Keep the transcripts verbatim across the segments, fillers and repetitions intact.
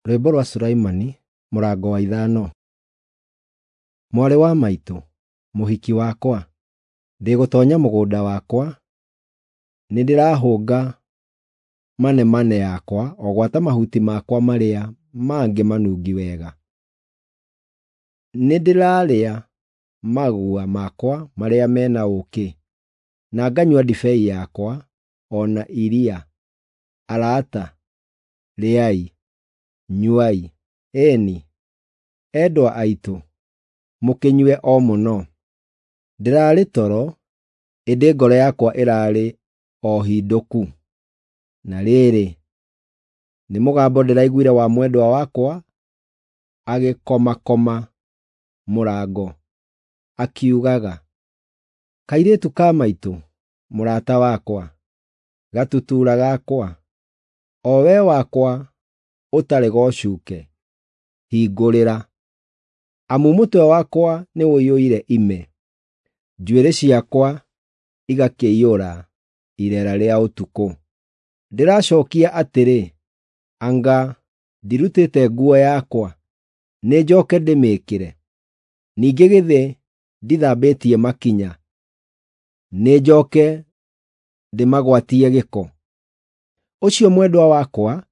Rwĩmbo rwa Sulaimani, mũrango wa ithano. Mwarĩ wa maitũ, mũhiki wakwa, ndĩgũtoonya mũgũnda wakwa, nĩndĩrahũnga manemane yakwa o gwata mahuti makwa marĩa mangĩ manungi wega. Nĩndĩrarĩa magua makwa marĩa me na ũũkĩ, na nganyua ndibei yakwa o na iria. Arata, rĩai, nyuai, ĩĩ-ni, endwa aitũ, mũkĩnyue o mũno. Ndĩrarĩ toro, ĩndĩ ngoro yakwa ĩrarĩ o hindũku. Na rĩrĩ, nĩ mũgambo ndĩraiguire wa mwendwa wakwa agĩkomakoma mũrango, akiugaga, "Kairĩtu ka maitũ, mũrata wakwa, gatutura gakwa, o we wakwa ũtarĩ gocuke, hingũrĩra. Amu mũtwe wakwa nĩũiyũire ime, njuĩrĩ ciakwa igakĩiyũra irera rĩa ũtukũ. Ndĩracookia atĩrĩ, anga ndirutĩte nguo yakwa, nĩnjooke ndĩmĩĩkĩre? Ningĩ githĩ ndithambĩtie makinya, nĩnjooke ndĩmagwatie gĩko?" Ũcio mwendwa wakwa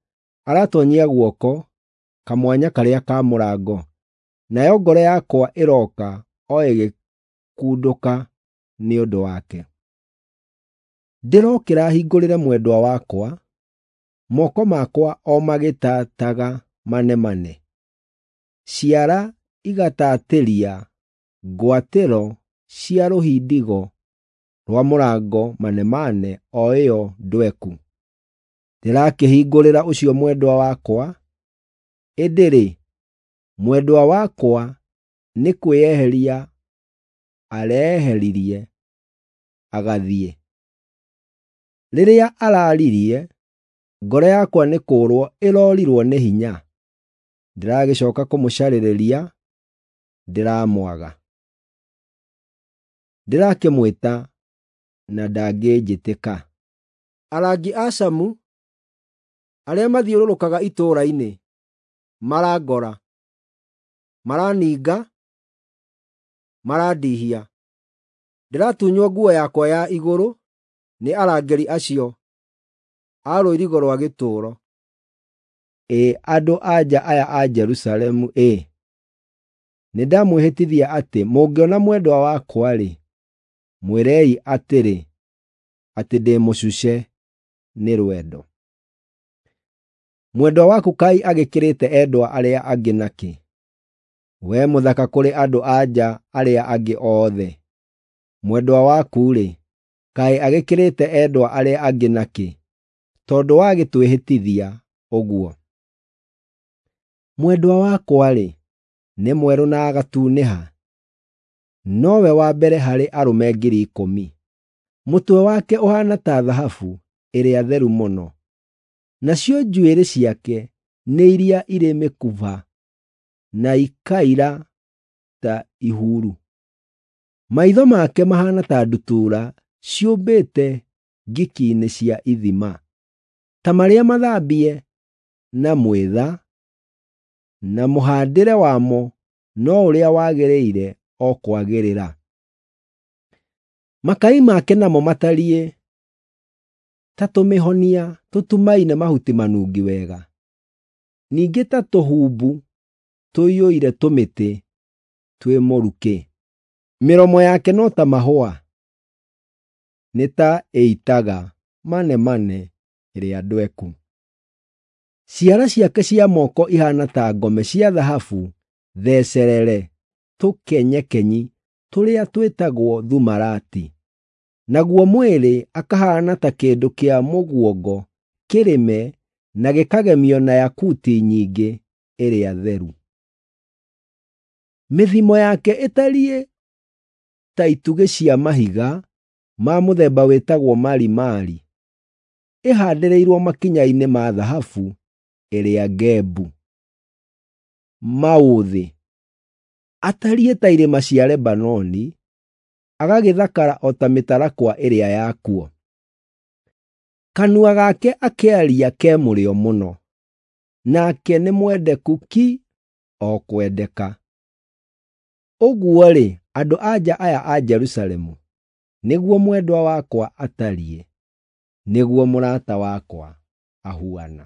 aratoonyia guoko kamwanya karĩa ka mũrango, nayo ngoro yakwa ĩrooka o ĩgĩkundũka nĩ ũndũ wake. Ndĩrokĩra hingũrĩre mwendwa wakwa, moko makwa o magĩtaataga manemane, ciara igatatĩria ngwatĩro cia rũhindigo rwa mũrango manemane o ĩyo ndweku. Ndĩrakĩhingũrĩra ũcio mwendwa wakwa, ĩndĩ-rĩ, mwendwa wakwa nĩ kwĩyeheria areeheririe agathiĩ. Rĩrĩa araaririe, ngoro yakwa nĩ kũũrwo ĩrorirwo nĩ hinya. Ndĩragĩcooka kũmũcarĩrĩria, ndĩramwaga. Ndĩrakĩmwĩta na ndangĩnjĩtĩka. Arangi a camu arĩa mathiũrũrũkaga itũũra-inĩ marangora, maraninga, marandihia. Ndĩratunywo nguo yakwa ya igũrũ nĩ arangĩri acio a rũirigo rwa gĩtũũro. Ĩ andũ-a-nja aya a Jerusalemu ĩ, nĩndamwĩhĩtithia atĩ mũngĩona mwendwa wakwa-rĩ, mwĩrei atĩrĩ, atĩ ndĩ mũcuce nĩ rwendo. Mwendwa waku kaĩ agĩkĩrĩte endwa arĩa angĩ nakĩ, wee mũthaka kũrĩ andũ-a-nja arĩa angĩ othe? Mwendwa waku-rĩ, kaĩ agĩkĩrĩte endwa arĩa angĩ nakĩ, tondũ wagĩtwĩhĩtithia ũguo? Mwendwa wakwa-rĩ, nĩ mwerũ na agatunĩha, nowe wa mbere harĩ arũme ngiri ikũmi. Mũtwe wake ũhaana ta thahabu ĩrĩa theru mũno, nacio njuĩrĩ ciake nĩ iria irĩ mĩkuba na ikaira ta ihuru. Maitho make mahaana ta ndutura ciũmbĩte ngiki-inĩ cia ithima, ta marĩa mathambie na mwĩtha, na mũhaandĩre wamo no ũrĩa wagĩrĩire o kwagĩrĩra. Makai make namo matariĩ ta tũmĩhonia tũtumaine mahuti manungi wega, ningĩ ta tũhumbu tũiyũire tũmĩtĩ twĩ mũrukĩ. Mĩromo yake no ta mahũa, nĩ ta ĩitaga manemane ĩrĩa ndweku. Ciara ciake cia moko ihaana ta ngome cia thahabu thecerere tũkenyekenyi tũrĩa twĩtagwo thumarati. Naguo mwĩrĩ akahaana ta kĩndũ kĩa mũguongo kĩrĩme na gĩkagemio na yakuti nyingĩ ĩrĩa theru. Mĩthimo yake ĩtariĩ ta itugĩ cia mahiga ma mũthemba wĩtagwo marimari, ĩhaandĩrĩirwo makinya-inĩ ma thahabu ĩrĩa ngembu. Maũthĩ atariĩ ta irĩma cia Lebanoni, agagĩthakara o ta mĩtarakwa ĩrĩa yakuo. Kanua gake akĩaria ke mũrĩo mũno, nake nĩ mwendeku ki o kwendeka. Ũguo-rĩ, andũ-a-nja aya a Jerusalemu, nĩguo mwendwa wakwa atariĩ, nĩguo mũrata wakwa ahuana.